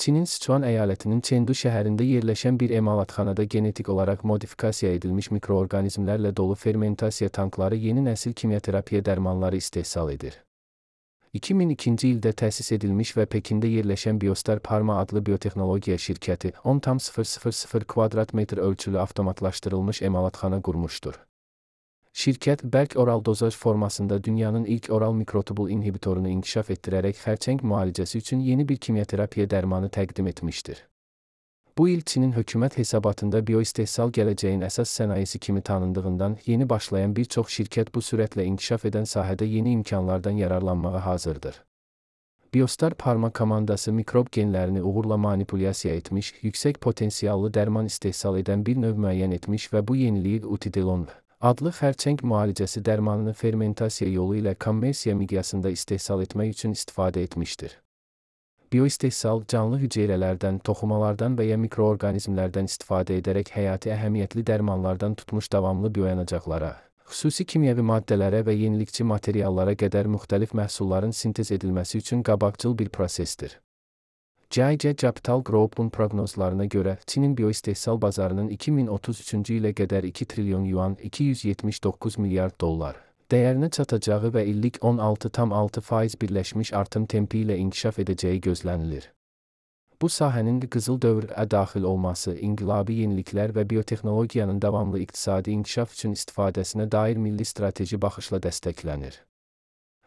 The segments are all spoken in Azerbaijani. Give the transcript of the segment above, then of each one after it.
Çinin Sichuan əyalətinin Chengdu şəhərində yerləşən bir emalatxanada genetik olaraq modifikasiya edilmiş mikroorqanizmlərlə dolu fermentasiya tankları yeni nəsil kimyaterapiya dərmanları istehsal edir. 2002-ci ildə təsis edilmiş və Pekində yerləşən Biostar Pharma adlı biotexnologiya şirkəti 10,000 kvadrat metr ölçülü avtomatlaşdırılmış emalatxana qurmuşdur. Şirkət, bərk oral dozaj formasında dünyanın ilk oral mikrotubul inhibitorunu inkişaf etdirərək xərçəng müalicəsi üçün yeni bir kimyaterapiya dərmanı təqdim etmişdir. Bu il Çinin hökumət hesabatında bioistehsal gələcəyin əsas sənayesi kimi tanındığından yeni başlayan bir çox şirkət bu sürətlə inkişaf edən sahədə yeni imkanlardan yararlanmağa hazırdır. Biostar Pharma komandası mikrob genlərini uğurla manipulyasiya etmiş, yüksək potensiallı dərman istehsal edən bir növ müəyyən etmiş və bu yeniliyi Utidelon adlı xərçəng müalicəsi dərmanını fermentasiya yolu ilə kommersiya miqyasında istehsal etmək üçün istifadə etmişdir. Bioistehsal, canlı hüceyrələrdən, toxumalardan və ya mikroorqanizmlərdən istifadə edərək həyati əhəmiyyətli dərmanlardan tutmuş davamlı bioyanacaqlara, xüsusi kimyəvi maddələrə və yenilikçi materiallara qədər müxtəlif məhsulların sintez edilməsi üçün qabaqcıl bir prosesdir. CIC Capital Group'un proqnozlarına görə, Çinin bioistehsal bazarının 2033-cü ilə qədər 2 trilyon yuan $279 milyard dəyərinə çatacağı və illik 16,6% birləşmiş artım tempi ilə inkişaf edəcəyi gözlənilir. Bu sahənin qızıl dövrə daxil olması, inqilabi yeniliklər və biotexnologiyanın davamlı iqtisadi inkişaf üçün istifadəsinə dair milli strateji baxışla dəstəklənir.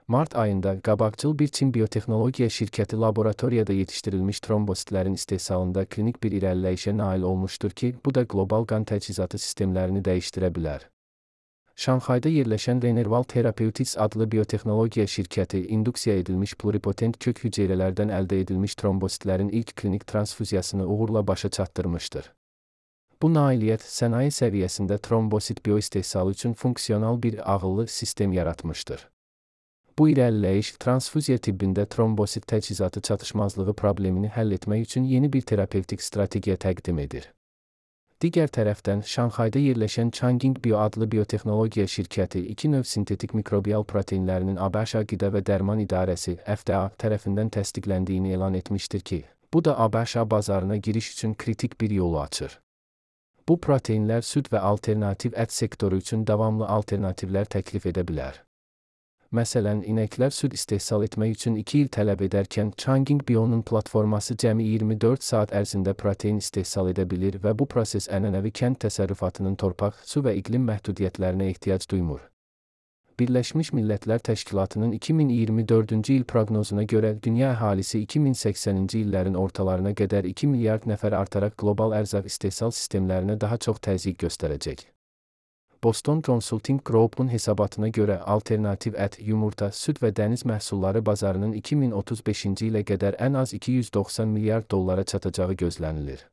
Mart ayında qabaqcıl bir Çin biotexnologiya şirkəti laboratoriyada yetişdirilmiş trombositlərin istehsalında klinik bir irəliləyişə nail olmuşdur ki, bu da qlobal qan təchizatı sistemlərini dəyişdirə bilər. Şanxayda yerləşən Renerval Therapeutics adlı biotexnologiya şirkəti induksiya edilmiş pluripotent kök hüceyrələrdən əldə edilmiş trombositlərin ilk klinik transfuziyasını uğurla başa çatdırmışdır. Bu nailiyyət sənaye səviyyəsində trombosit bioistehsalı üçün funksional bir ağıllı sistem yaratmışdır. Bu irəliləyiş, transfuziya tibbində trombosit təchizatı çatışmazlığı problemini həll etmək üçün yeni bir terapevtik strategiya təqdim edir. Digər tərəfdən, Şanxayda yerləşən Changqing Bio adlı biotexnologiya şirkəti 2 növ sintetik mikrobial proteinlərinin ABŞ Qida və Dərman İdarəsi FDA tərəfindən təsdiqləndiyini elan etmişdir ki, bu da ABŞ bazarına giriş üçün kritik bir yolu açır. Bu proteinlər süd və alternativ ət sektoru üçün davamlı alternativlər təklif edə bilər. Məsələn, inəklər süd istehsal etmək üçün 2 il tələb edərkən, Changqing Bio'nun platforması cəmi 24 saat ərzində protein istehsal edə bilir və bu proses ənənəvi kənd təsərrüfatının torpaq, su və iqlim məhdudiyyətlərinə ehtiyac duymur. Birləşmiş Millətlər Təşkilatının 2024-cü il proqnozuna görə, dünya əhalisi 2080-ci illərin ortalarına qədər 2 milyard nəfər artaraq qlobal ərzaq istehsal sistemlərinə daha çox təzyiq göstərəcək. Boston Consulting Group'un hesabatına görə alternativ ət, yumurta, süd və dəniz məhsulları bazarının 2035-ci ilə qədər ən az $290 milyard çatacağı gözlənilir.